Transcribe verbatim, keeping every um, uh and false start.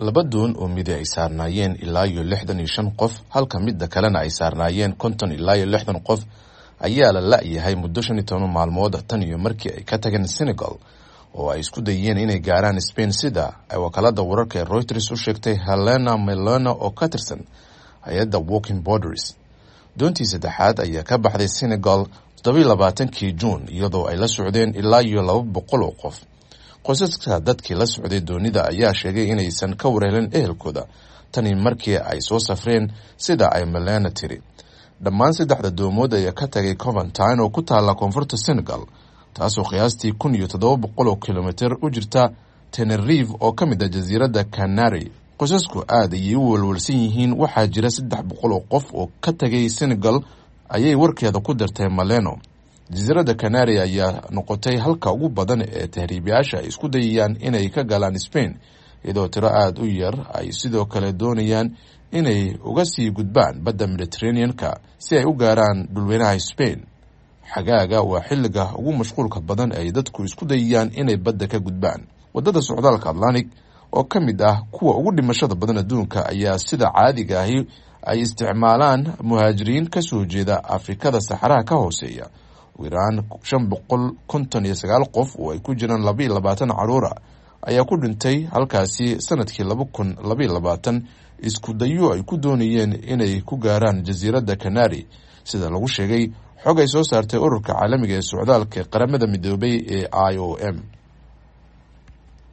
Laba doon oo midi ay saarnaayeen ilaa iyo lixdan iyo shan qof, halka midda kalena ay saarnaayeen konton ilaa iyo lixdan qof, ayaa la la-yahay muddo shan iyo toban maalmood tan iyo markii ay ka tageen Senegal oo ay isku dayeen inay gaaraan Spain, sida ay wakaalada wararka ee Reuters u sheegtay Helena Melona oo ka tirsan hay-adda Walking Borders. Doontii saddexaad ayaa ka baxday Senegal toddobiyo labaatankii Juun, iyadoo ay la socdeen ilaa iyo laba boqol oo qof. Qoysaska dadkii la socday doonida ayaa sheegay inaysan ka warhelin ehelkooda tani markii ay soo safreen, sida ay Melena tiri. Dhammaan saddexda doomood ayaa ka tagay Coventine oo ku taala koonfurta Senegal, taasoo qiyaastii kun iyo toddoba boqol oo kilomitir u jirta Tenerife oo ka mid ah jasiiradda Canary. Qoysasku aad ayay u walwalsan yihiin. Waxaa jira saddex boqol oo qof oo ka tagay Senegal, ayay warkeeda ku dartay Maleno. Jasiiradda Canary ayaa noqotay halka ugu badan ee tahriibayaasha ay isku dayayaan inay ka galaan Spain, iyadoo tiro aada u yar ay sidoo kale doonayaan inay uga sii gudbaan badda Mediterranean-ka si ay u gaaraan dhulweynaha Spain. Xagaaga waa xilliga ugu mashquulka badan ay dadku isku dayayaan inay badda ka gudbaan. Waddada socdaalka Atlantic oo ka mid ah kuwa ugu dhimashada badan adduunka ayaa sida caadiga ahi ay isticmaalaan muhaajiriin kasoo jeeda Afrikada saxaraha ka hooseeya. Ugu yaraan shan boqol konton iyo sagaal qof oo ay ku jiraan labaiyo labaatan caruura ayaa ku dhintay halkaasi sanadkii laba kun labaiyo labaatan isku dayo ay ku doonayeen inay ku gaaraan jasiiradda Canary, sida lagu sheegay xog ay soo saartay ururka caalamiga ee socdaalka qaramada midoobay ee I O M.